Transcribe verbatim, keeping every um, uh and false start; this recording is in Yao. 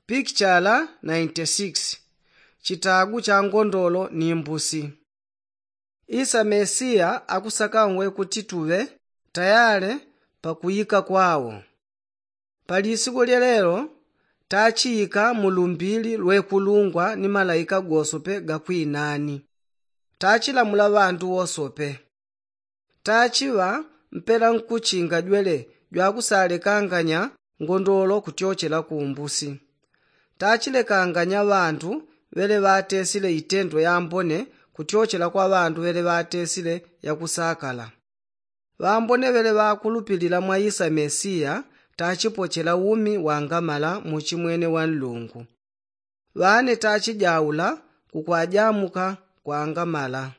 Pikichala ninety six. Chitagu cha ngondolo ni mbusi. Isa mesiya akusakanwe kuti tuŵe tayale pakuyika kwawo. Pali isiku lyelelo tachiyika mu lumbili lwekulungwa ni malaika gosope gakwinani. Tachilamula ŵandu wosope. Tachiŵa mpela nkuchinga jwele jwakusalekanganya ngondolo kutyochela ku mbusi. Tachilekanganya ŵandu ŵele ŵatesile itendo yambone kutyochela kwa ŵandu ŵele ŵatesile yakusakala. Ŵambone ŵele ŵakulupilila mwa isa mesiya tachipochela umi wangamala muchimwene wa nlungu. Ŵane tachijaula kukwajamuka kwangamala.